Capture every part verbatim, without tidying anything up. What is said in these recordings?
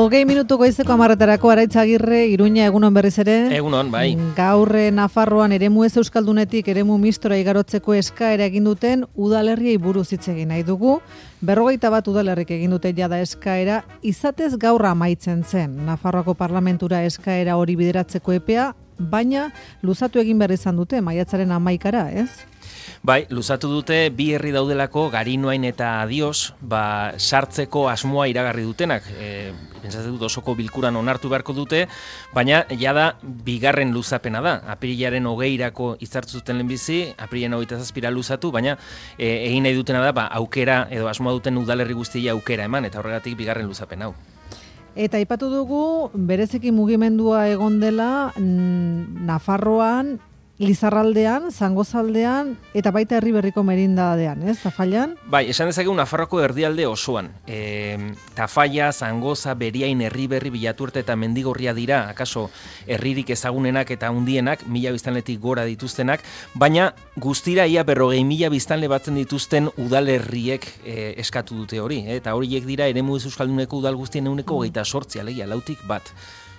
Hogei minutu goizeko hamarretarako Araitz Agirre, Iruña, egunon berriz ere. Egunon, bai. Gaur Nafarroan eremu ez euskaldunetik eremu mistora igarotzeko eskaera egin duten udalerriei buruz hitz egin nahi dugu. Berrogeita bat udalerrik egin dute jada eskaera, izatez gaur amaitzen zen. Nafarroako parlamentura eskaera hori bideratzeko epea, baina luzatu egin behar izan dute, maiatzaren hamaikara, ez? Bai, luzatu dute bi herri daudelako Garinoain eta Adios, ba, sartzeko asmoa iragarri dutenak. E, Pentsatzen dut osoko bilkuran onartu beharko dute, baina jada bigarren luzapena da. Apirilaren hogeirako hitzartu zuten lehenbizi, apirilaren hogeita zazpira luzatu, baina e, egin nahi dutena da, ba, aukera edo asmoa duten udalerri guztia aukera eman, eta horregatik bigarren luzapen hau. Eta aipatu dugu, bereziki mugimendua egon dela Nafarroan, Lizarraldean, Zangozaldean eta baita Herriberriko Merindadean, ez, Tafallan? Bai, esan dezakegu Nafarroako erdialde osoan. E, Tafalla, Zangoza, Beriain, Herriberri, Bilaturte eta Mendigorria dira, akaso herririk ezagunenak eta handienak, mila biztanletik gora dituztenak, baina guztira ia berrogei mila biztanle batzen dituzten udalerriek e, eskatu dute hori, eh? Eta horiek dira eremu ez euskalduneko udal guztien eguneko hogeita sortzi, alegia, lautik bat.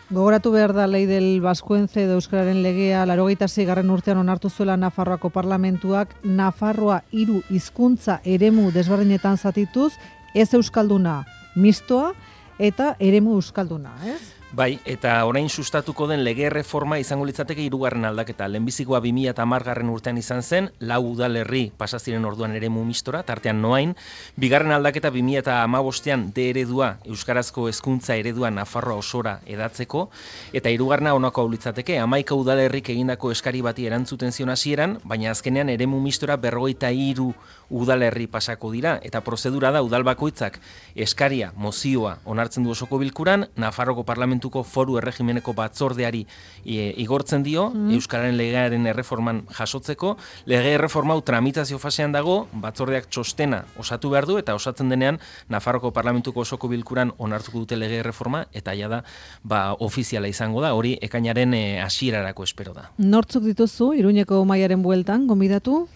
Gogoratu behar da lei del Baskuentze edo Euskararen legea laurogeita seigarren urtean onartu zuela Nafarroako parlamentuak Nafarroa hiru hizkuntza eremu desberdinetan zatituz, ez euskalduna mistoa eta eremu euskalduna, ez? Bai, eta orain sustatuko den lege erreforma izango litzateke hirugarren aldaketa. Lehenbizikoa bi mila hamargarren urtean izan zen, lau udalerri pasa ziren orduan eremu mistora, tartean Noain. Bigarren aldaketa bi mila hamabostean D eredua, euskarazko hezkuntza eredua Nafarroa osora edatzeko, eta hirugarrena honako hau litzateke, hamaika udalerrik egindako eskari bati erantzuten zion hasieran, baina azkenean eremu mistora berrogeita hiru udalerri pasako dira, eta prozedura da udal bakoitzak eskaria, mozioa onartzen du osoko bilkuran, Nafarroko parlamentu foru erregimeneko batzordeari e, igortzen dio, mm. Euskararen legearen erreforman jasotzeko. Lege erreforma hau tramitazio fasean dago, batzordeak txostena osatu behar du, eta osatzen denean Nafarroko parlamentuko osoko bilkuran onartuko dute lege erreforma, eta ja da, ba, ofiziala izango da, hori ekainaren e, hasierarako espero da. Nortzuk dituzu, Iruñeko maiaren bueltan, gonbidatu?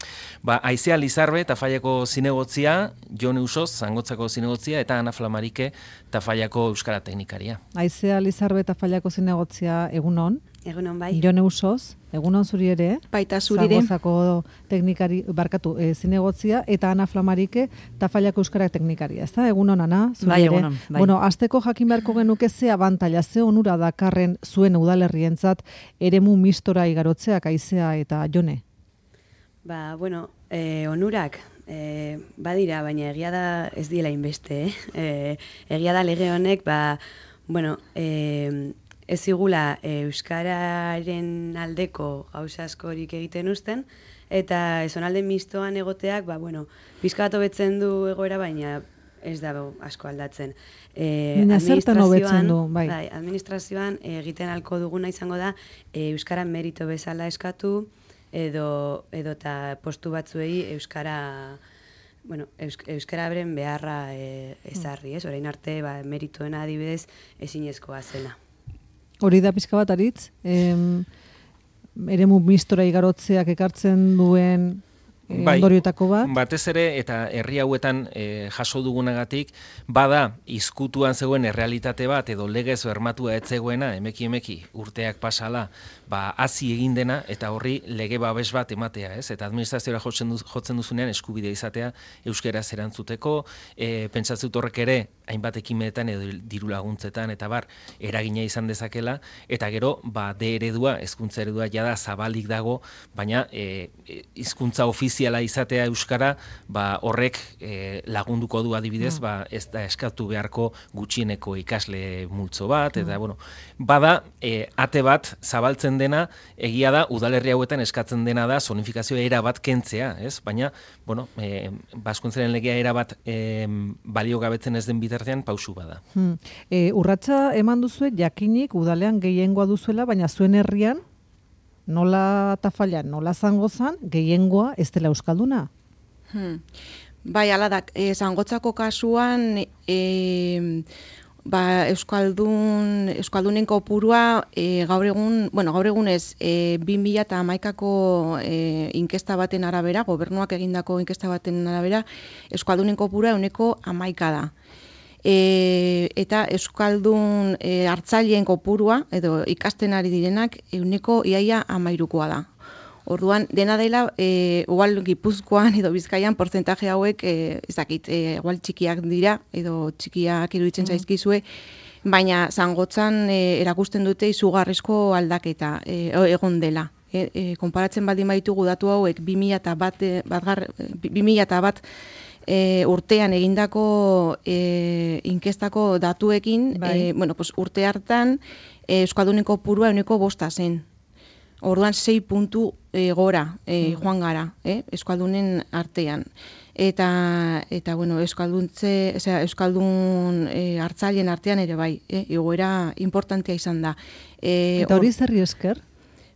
Ba, Aizea Lizarbe, Tafallako zinegotzia, Jon Eusoz, Zangotzako zinegotzia, eta Ana Flamarike, Tafallako euskara teknikaria. Aizea Lizarbe, Tafallako zinegotzia, egunon? Egunon bai. Jon Eusoz, egunon zuri ere? Baita zuri ere. Zangozako teknikari, barkatu, e, zinegotzia, eta Ana Flamarike, Tafallako euskara teknikaria. Ez da, egunon, Ana? Zuri bai, ere? egunon. Bai. Bueno, azteko jakin beharko genuke ze abantaila, ze onura dakarren zuen udalerrientzat eremu mistora igarotzeak, Aizea eta Jone? Ba, bueno, eh, onurak eh, badira, baina egia da ez diela inbeste, eh? eh? Egia da lege honek, ba, bueno, eh, ez igula eh, euskararen aldeko gauza askorik egiten uzten, eta zonalde mistoan egoteak, ba, bueno, pizka bat hobetzen du egoera, baina ez da asko aldatzen. Eh, zertan hobetzen du, bai. Bai, administrazioan eh, egiten alko duguna izango da eh, euskara merito bezala eskatu, edo edo ta postu batzuei euskara bueno, eusk, euskararen beharra e, ezarri, ez? Orain arte ba meritoena adibidez ezinezkoa zela. Hori da pizka bat aritz, em, eremu mistora igarotzeak ekartzen duen e, bai, ondorioetako bat. Batez ere, eta herri hauetan e, jaso dugunagatik, bada izkutuan zegoen errealitate bat, edo legez bermatua ez zegoena, emeki emeki urteak pasala, ba, hazi egin dena, eta horri lege babes bat ematea, ez? Eta administrazioa jotzen, duz, jotzen duzunean eskubidea izatea euskaraz erantzuteko, e, pentsatzen dut horrek ere, hainbat ekimenetan edo diru laguntzetan, eta bar, eragina izan dezakela, eta gero, ba, D eredua, hezkuntza eredua jada zabalik dago, baina e, hizkuntza ofiziala izatea euskara, ba, horrek e, lagunduko du adibidez, mm. ba, ez da eskatu beharko gutxieneko ikasle multzo bat, eta, mm. bueno, bada, e, ate bat zabaltzen dena, egia da, udalerri hauetan eskatzen dena da, zonifikazioa era bat kentzea, ez? Baina, bueno, e, Baskuntzaren legea era bat e, balio gabetzen ez den bitartean pausu bada. Hmm. E, urratsa eman duzue, jakinik udalean gehiengoa duzuela, baina zuen herrian, nola Tafallan, nola Zangozan, gehiengoa ez dela euskalduna? Hmm. Bai, ala da, e, Zangotzako kasuan, e, ba, euskaldun, euskaldunen kopurua e, gaur egun, bueno, gaur egunez e, bi mila hamaikako e, inkesta baten arabera, gobernuak egindako inkesta baten arabera, euskaldunen kopurua ehuneko hamaika da. e, eta euskaldun e, hartzaileen kopurua edo ikasten ari direnak ehuneko iaia hamairukoa da. Orduan, dena dela, e, igual Gipuzkoan edo Bizkaian portzentaje hauek, e, ez dakit, e, igual txikiak dira, edo txikiak iruditzen mm. zaizkizue, baina Zangotzan e, erakusten dute izugarrizko aldaketa e, egon dela. E, e, konparatzen baldin baitugu datu hauek bi mila bat, bi mila bat e, urtean egindako e, inkestako datuekin, e, bueno, pues, urte hartan e, euskaldunen kopurua ehuneko bosta zen. Orduan sei puntu e, gora e, joan gara, eh, euskaldunen artean. Eta, eta bueno, euskalduntze, o sea, euskaldun e, hartzaileen artean ere bai, eh, igoera importantea izan da. E, eta hori zerri esker?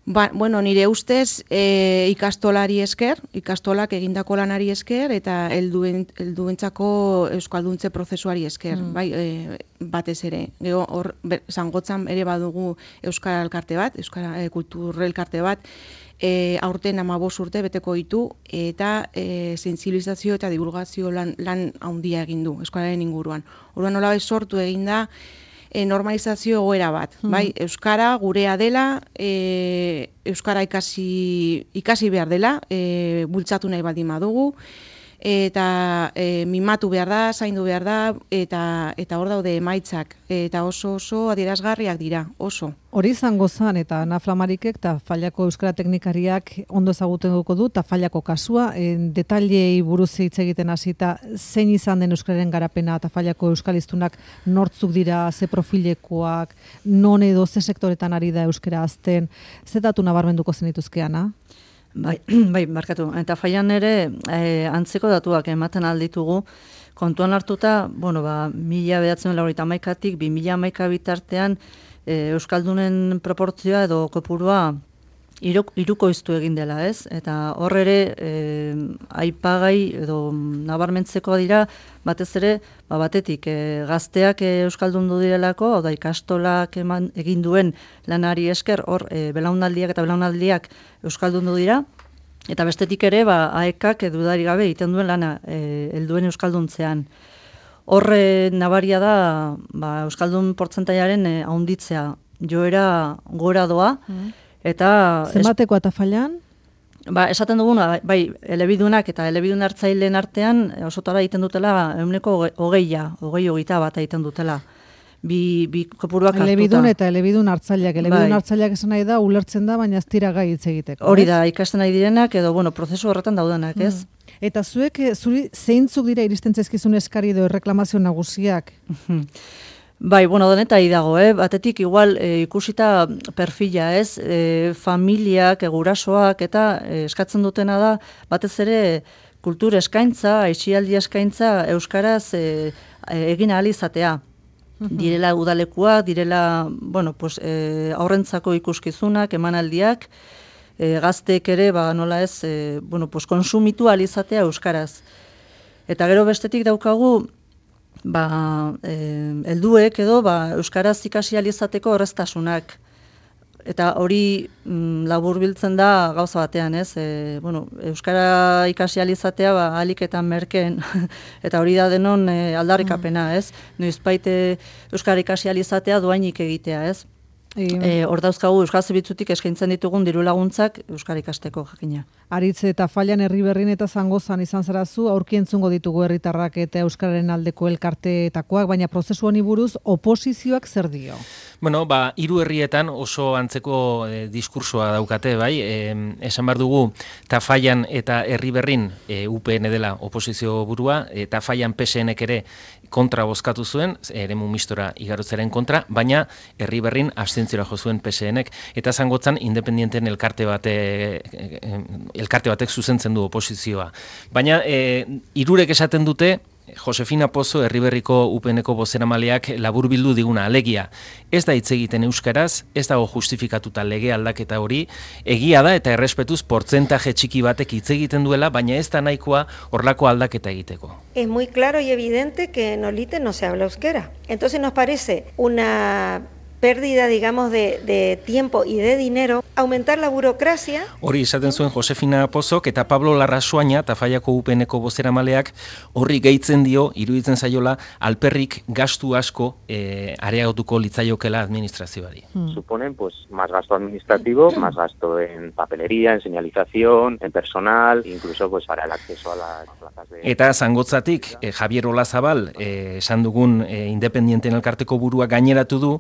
Ba, bueno, nire ustez e, ikastolari esker, ikastolak egindako lanari esker, eta helduen, helduentzako euskalduntze prozesuari esker, mm. bai, e, batez ere. Gero, hor, Zangotzan ere badugu euskara elkarte bat, euskara e, kultur elkarte bat, e, aurten hamabost urte beteko ditu, eta e, sentsibilizazio eta divulgazio lan, lan handia egin du euskararen inguruan. Orduan nola sortu egin da, E, normalizazio egoera bat, hmm. bai, euskara gurea dela, e, euskara ikasi, ikasi behar dela, e, bultzatu nahi baldin badugu, eta e, mimatu behar da, zaindu behar da, eta eta hor daude emaitzak, eta oso oso adierazgarriak dira, oso. Hori izango zen, eta Naflamarikek eta Fallako euskara teknikariak ondo ezaguten duko du, eta Fallako kasua, e, detailei buruz hitz egiten hasita, zein izan den euskararen garapena, eta Fallako euskaliztunak nortzuk dira, ze profilekoak, non edo ze sektoretan ari da euskara azten, ze datu nabarmenduko zenituzkeana? Bai, bai, markatu. Eta Fallan ere e, antzeko datuak ematen alditugu, kontuan hartuta, bueno, ba, mila behatzen laurogeita hamaikatik, bi mila hamaika bitartean, e, euskaldunen proportzioa edo kopurua hirukoiztu egin dela, ez? Eta hor ere e, aipagai edo nabarmentzeko dira, batez ere, ba, batetik e, gazteak e, euskaldundu direlako, oda ikastolak eman, egin duen lanari esker, hor e, belaunaldiak eta belaunaldiak euskaldundu dira, eta bestetik ere, ba, aekak edudari gabe egiten duen lana e, helduen euskalduntzean. Horre nabaria da, ba, euskaldun portzentaiaren e, haunditzea, joera gora doa, mm. Eta zenbatekoa eta Fallan? Ba, esaten duguna, bai, elebidunak eta elebidun hartzaileen artean osotara egiten dutela ehuneko hogeia, hogei hogeita bat egiten dutela. Bi, bi kopuruak hartuta. Elebidun eta elebidun hartzaileak. Elebidun bai. Hartzaileak esan nahi da, ulertzen da, baina ez dira gai hitz egiteko. Hori da, ikasten nahi direnak, edo, bueno, prozesu horretan daudenak, mm. ez? Eta zuek, zuri, zeintzuk dira iristen zaizkizun eskari edo erreklamazio nagusiak? Bai, bueno, denetai dago, eh? Batetik igual e, ikusita perfila, ez? E, familiak, gurasoak eta e, eskatzen dutena da, batez ere kultur eskaintza, aisialdi eskaintza euskaraz e, egin ahal izatea. Direla udalekuak, direla, bueno, pues, e, aurrentzako ikuskizunak, emanaldiak, e, gazteek ere, ba, nola ez, e, bueno, pues, konsumitu ahal izatea euskaraz. Eta gero bestetik daukagu, ba, eh, helduek edo ba, euskaraz ikasi ahal izateko horreztasunak. Eta hori mm, laburbiltzen da gauza batean, ez? E, bueno, euskara ikasi ahal izatea ba, ahalik eta merkeen. Eta hori da denon e, aldarrikapena, ez? Noizbait euskara ikasi ahal izatea doainik egitea, ez? E, hor dauzkagu Euskal Zerbitzutik eskaintzen ditugun diru laguntzak euskara ikasteko jakina. Aritz eta Fallan Herriberrin eta Zangozan izan zarazu, aurki entzungo ditugu herritarrak eta euskararen aldeko elkarteetakoak, baina prozesu honi buruz oposizioak zer dio? Bueno, ba, hiru herrietan oso antzeko e, diskursoa daukate, bai, e, esan behar dugu, Tafallan eta Herriberrin e, U P N dela oposizio burua, e, Tafallan P S Nek ere kontra bozkatu zuen, eremu mistora igarotzaren kontra, baina Herriberrin abstentziora jo zuen P S Nek, eta Zangotzan independienten elkarte bate, elkarte batek zuzentzen du oposizioa. Baina e, hirurek esaten dute, Josefina Pozo, Herriberriko U P Neko bozeramaleak laburbildu diguna, alegia. Ez da hitz egiten euskaraz, ez dago justifikatuta lege aldaketa hori, egia da eta errespetuz portzentaje txiki batek hitz egiten duela, baina ez da nahikoa horlako aldaketa egiteko. Es muy claro y evidente que en Olite no se habla euskera. Entonces nos parece una pérdida, digamos, de, de tiempo y de dinero, aumentar la burocracia. Hori esaten zuen Josefina Pozok eta Pablo Larrasoaina, Tafallako U P N-ko bozeramaleak, horri gehitzen dio, iruditzen zaiola, alperrik gastu asko eh, areagotuko litzaiokela administrazioari. Hmm. Suponen pues más gasto administrativo, más gasto en papelería, en señalización, en personal, incluso pues para el acceso a las plazas de... Eta Zangotzatik, eh, Javier Olazabal, eh, esan dugun eh, Independienten elkarteko burua gaineratu du,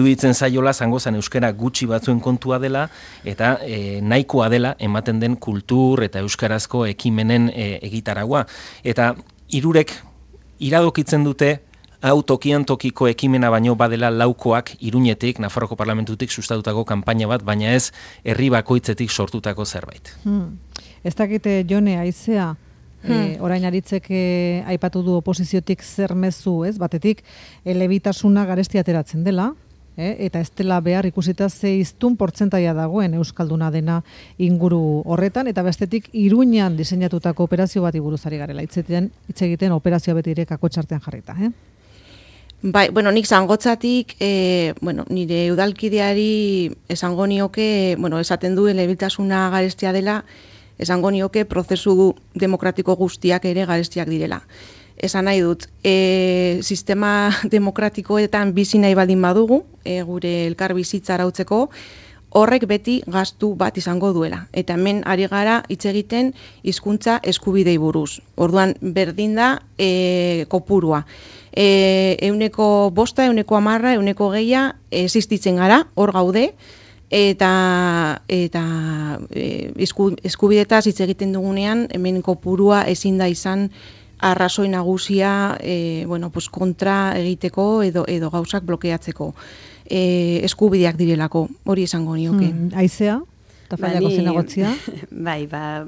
iruditzen zaiola Zangozan euskara gutxi batzuen kontua dela eta e, nahikoa dela ematen den kultur eta euskarazko ekimenen e, egitaragua. Eta hirurek iradokitzen dute hau tokian tokiko ekimena baino badela laukoak Iruñetik, Nafarroko Parlamentutik sustatutako kanpaina bat, baina ez herri bakoitzetik sortutako zerbait. Hmm. Ez dakite Jone Aizea, hmm. e, orain aritzek e, aipatu du oposiziotik zer mezu, ez? Batetik elebitasuna garesti ateratzen dela, eh? Eta ez dela behar ikusita ze hiztun portzentaia dagoen euskalduna dena inguru horretan, eta bestetik Iruñan diseinatutako operazio bati buruz ari garela hitzeten, hitz egiten operazioa beti ere kakotxartean jarrita, eh? Bai, bueno, nik Zangotzatik, e, bueno, nire udalkideari esango nioke, bueno, esaten du elebitasuna garestia dela, esango nioke prozesu demokratiko guztiak ere garestiak direla. Esan nahi dut, e, sistema demokratikoetan bizi nahi baldin badugu, e, gure elkar bizitza arautzeko, horrek beti gastu bat izango duela. Eta hemen ari gara hitz egiten hizkuntza eskubidei buruz. Orduan berdin da e, kopurua. E, euneko bosta, euneko amarra, euneko geia existitzen gara, hor gaude, eta eta e, eskubidetaz hitz egiten dugunean, hemen kopurua ezin da izan arrazoi nagusia e, bueno, pues kontra egiteko edo, edo gauzak blokeatzeko. E, eskubideak direlako, hori esango nioke. Hmm, Aizea, Tafallako zinagotzia? Bai, ba,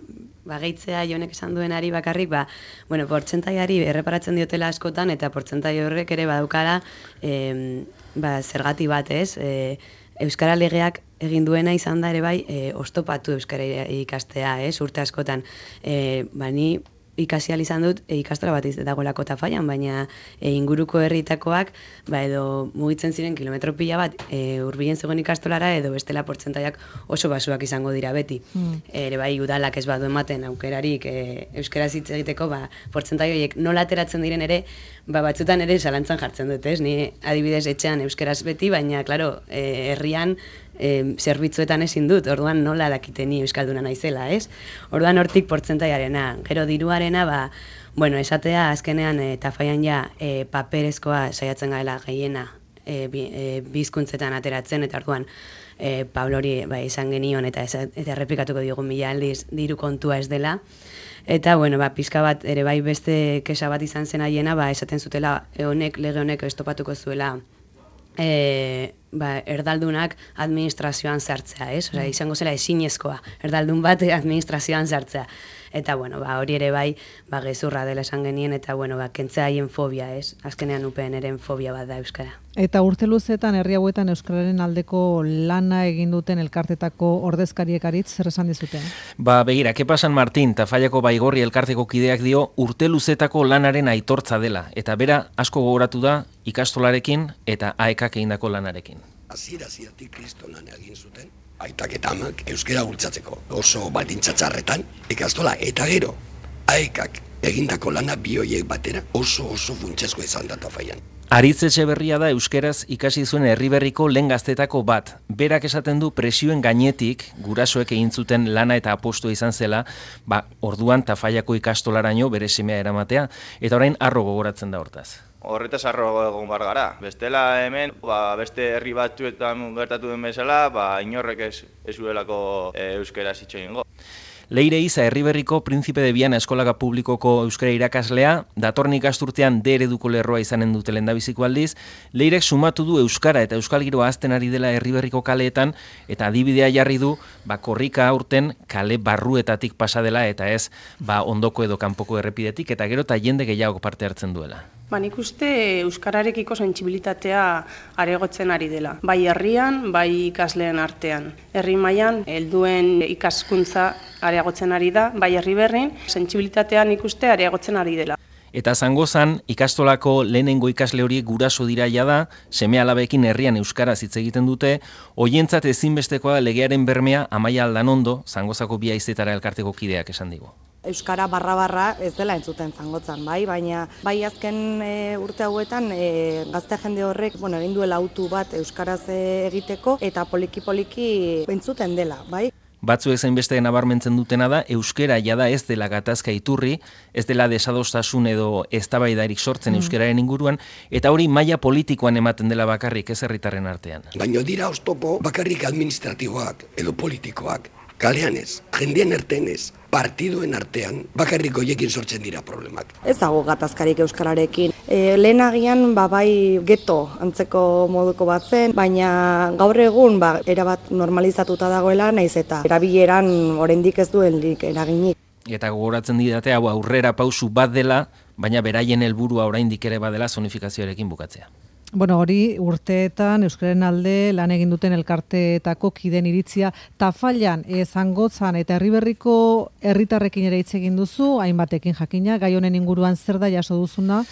ba gehitzea Jonek esan duenari bakarrik, ba, bueno, portzentaiari erreparatzen diotela askotan, eta portzentai horrek ere badaukala e, ba, zergati bat, ez? E, Euskara legeak egin duena izan da ere bai, e, oztopatu euskara ikastea, ez? Urte askotan, e, ba, ni ikasi ahal izan dut e, ikastola bat dagoelako Tafallan, baina e, inguruko herritakoak ba, edo mugitzen ziren kilometro pila bat e, hurbilen zegoen ikastolara edo bestela portzentaiak oso basuak izango dira beti. Mm. Ere bai udalak ez badu ematen aukerarik e, euskaraz hitz egiteko, ba, portzentai horiek nola ateratzen diren ere, ba, batzutan ere zalantzan jartzen dut, ez? Ni adibidez etxean euskaraz beti, baina claro, e, herrian E, zerbitzuetan ezin dut, orduan nola dakite ni euskalduna naizela, ez? Orduan hortik portzentaiarena, gero diruarena, ba, bueno, esatea azkenean e, Tafallan ja e, paperezkoa saiatzen gaela gehiena e, bi, e, bizkuntzetan ateratzen, eta orduan e, Pablori ba, izan genion eta, eta errepikatuko diogun mila aldiz diru kontua ez dela. Eta, bueno, ba, pizka bat, ere bai beste kesa bat izan zen haiena, ba, esaten zutela e, honek, lege honek estopatuko zuela E, ba, erdaldunak administrazioan sartzea, ez? Osea, izango zela ezinezkoa erdaldun bat administrazioan sartzea. Eta, bueno, ba, hori ere bai, ba, gezurra dela esan genien, eta, bueno, ba, kentzea haien fobia, ez? Azkenean upen eren fobia bat da euskara. Eta urte luzetan, herri hauetan euskararen aldeko lana egin duten elkartetako ordezkariek aritz, zer esan dizuten? Ba, begira, ke pasan Martin, Tafallako Baigorri elkarteko kideak dio, urte luzetako lanaren aitortza dela, eta bera asko gogoratu da ikastolarekin eta aekak egindako lanarekin. Hasiera-hasieratik kristolan egin zuten, aitak eta amak euskara bultzatzeko oso baldintzatxarretan ikastola, eta gero aekak egindako lana bi horiek batera oso oso funtsezko izan da Tafallan. Aritz Etxeberria da euskeraz ikasi zuen herriberriko lehen gaztetako bat. Berak esaten du presioen gainetik gurasoek egin zuten lana eta apostua izan zela, ba, orduan Tafallako ikastolaraino bere semea eramatea, eta orain harro gogoratzen da hortaz. Horretaz harro egon bar gara. Bestela hemen, ba, beste herri batzuetan gertatu den bezala, ba, inorrek ez ezuelako e, euskera hitz egingo. Leire Iza Herriberriko Príncipe de Viana eskolaka publikoko euskara irakaslea, datorren ikasturtean D ereduko lerroa izanen dute lehendabiziko aldiz, Leirek sumatu du euskara eta euskal giroa hazten ari dela Herriberriko kaleetan, eta adibidea jarri du, ba, korrika aurten kale barruetatik pasa dela, eta ez, ba, ondoko edo kanpoko errepidetik, eta gero eta jende gehiago parte hartzen duela. Ba, nik uste euskararekiko sentsibilitatea aregotzen ari dela. Bai herrian, bai ikasleen artean. Herri mailan helduen ikaskuntza areagotzen ari da, bai Herriberrin, sentsibilitatea nik uste areagotzen ari dela. Eta Zangozan ikastolako lehenengo ikasle horiek guraso dira jada, seme alabekin herrian euskaraz hitz egiten dute, hoientzat ezinbestekoa da legearen bermea Amaia Aldanondo, Zangozako bi haizetara elkarteko kideak esan digu. Euskara barra-barra ez dela entzuten Zangotzan, bai, baina bai azken e, urte hauetan e, gazte jende horrek, bueno, egin duela autu bat euskaraz e, egiteko eta poliki-poliki entzuten dela, bai. Batzuek zainbeste nabarmentzen dutena da, euskera jada ez dela gatazka iturri, ez dela desadostasun edo eztabaidarik sortzen mm. euskararen inguruan, eta hori maila politikoan ematen dela bakarrik ez herritarren artean. Baina dira oztopo bakarrik administratiboak edo politikoak, kalean ez, jendien erten ez, partiduen artean bakarrik hoiekin sortzen dira problemak. Ez dago gatazkarik euskararekin. E, lehenagian ba, bai geto antzeko moduko bat zen, baina gaur egun ba, erabat normalizatuta dagoela naiz eta erabileran oraindik ez duenik eraginik. Eta gogoratzen didate hau aurrera pausu bat dela, baina beraien helburua oraindik ere badela zonifikazioarekin bukatzea. Bueno, hori urteetan euskararen alde lan egin duten elkarteetako kiden iritzia Tafallan, e, Zangotzan eta Herriberriko herritarrekin ere hitz egin duzu, hainbatekin jakina, gai honen inguruan zer da jaso duzuna,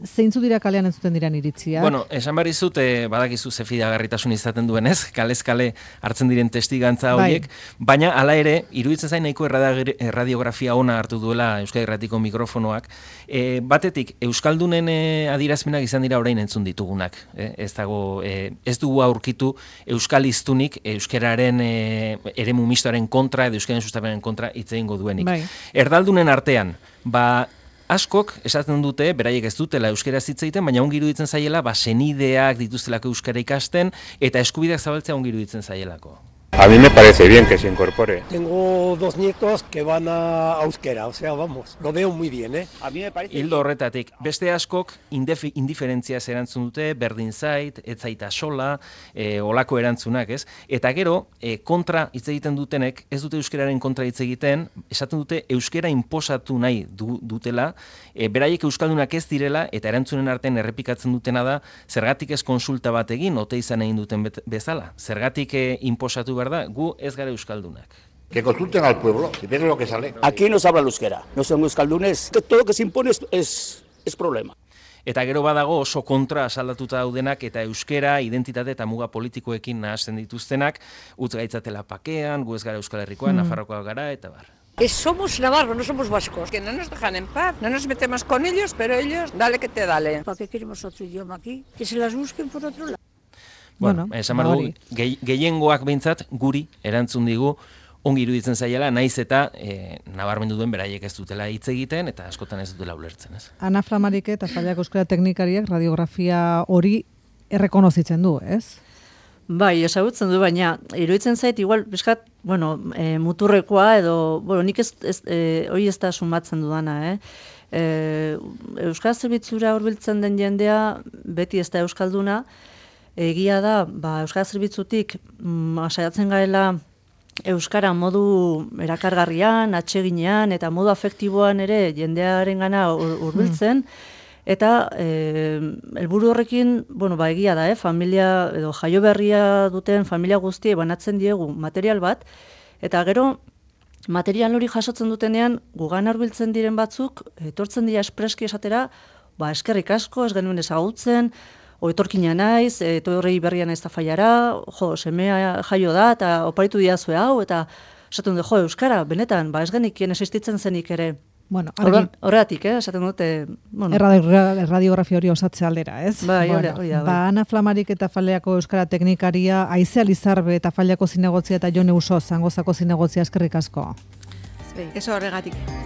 zeintzu dira kalean entzuten diran iritziak? Bueno, esan behar izut, eh, badakizu ze fidagarritasun izaten duenez, kalez kale hartzen diren testigantza horiek, bai. Baina hala ere, iruditzen zain nahiko erradiografia ona hartu duela Euskadi Irratiko mikrofonoak. E, batetik, Euskaldunen e, adirazpenak izan dira orain entzun ditugunak. E, ez dago, e, ez dugu aurkitu Euskal Hiztunik euskararen e, eremu mistoaren kontra edo euskararen sustapenaren kontra hitz egingo duenik. Bai. Erdaldunen artean, ba askok esaten dute, beraiek ez dutela euskara hitz egiten, baina ongi iruditzen zaiela, ba senideak dituztelako euskara ikasten eta eskubideak zabaltzea ongi iruditzen zaielako. A mí me parece bien que se incorpore. Tengo dos nietos que van a euskera, o sea, vamos, lo veo muy bien, ¿eh? A mí me parece... Hildo horretatik, beste askok indefi, indiferentziaz erantzun dute, berdin zait, ez zaita sola, e, olako erantzunak, ez? Eta gero, e, kontra hitz egiten dutenek, ez dute euskeraren kontra hitz egiten, esaten dute euskera inposatu nahi du, dutela, e, beraiek euskaldunak ez direla, eta erantzunen artean errepikatzen dutena da, zergatik ez konsulta bat egin, ote izan egin duten bezala, zergatik e, inposatu behar da, gu ez gara euskaldunak. Que consulten al pueblo, si ven lo que sale. Aquí no se habla el euskera, no son euskaldunes, todo lo que se impone es, es, es problema. Eta gero badago oso kontra asaldatuta daudenak eta euskera, identitate eta muga politikoekin nahasten dituztenak, utz gaitzatela pakean, gu ez gara Euskal Herrikoa, mm. Nafarrokoa gara, eta bar. Que somos navarros, no somos vascos. Que no nos dejan en paz, no nos metemos con ellos, pero ellos, dale que te dale. ¿Para qué queremos otro idioma aquí? Que se las busquen por otro lado. Bueno, bueno esan dugu, gehiengoak behintzat guri erantzun digu ongi iruditzen zaiela, naiz eta e, nabarmendu duen beraiek ez dutela hitz egiten eta askotan ez dutela ulertzen, ez? Ana Flamarike eta Tafallako euskara teknikariak radiografia hori errekonozitzen du, ez? Bai, ezagutzen du, baina iruditzen zait igual bizkat, bueno, e, muturrekoa edo, bueno, nik ez, ez e, hori ez da sumatzen dudana, eh? E, euskara zerbitzura hurbiltzen den jendea beti ez da euskalduna. Egia da, ba, euskara zerbitzutik mm, saiatzen gaela euskara modu erakargarrian, atseginean eta modu afektiboan ere jendearengana hurbiltzen mm. eta eh, helburu horrekin, bueno, ba, egia da, eh, familia edo jaio berria duten familia guztiei banatzen diegu material bat eta gero material hori jasotzen dutenean gugan hurbiltzen diren batzuk etortzen dira espreski esatera, ba, eskerrik asko, ez genuen ezagutzen, o etorkina naiz, etorri berria naiz Tafallara, jo, semea jaio da, eta oparitu diazue hau, eta esaten dut, jo, euskara, benetan, ba, ez genikien existitzen zenik ere. Bueno, horregatik, eh, esaten dute... Bueno. Erradiografia hori osatze aldera, ez? Bai, hori bueno, da, bai. Ba, Ana Flamarik eta Tafalako euskara teknikaria, Aizea Lizarbe eta Tafalako zinegotzia eta Jone Uso, Zangozako zinegotzia, eskerrik asko. Eso horregatik.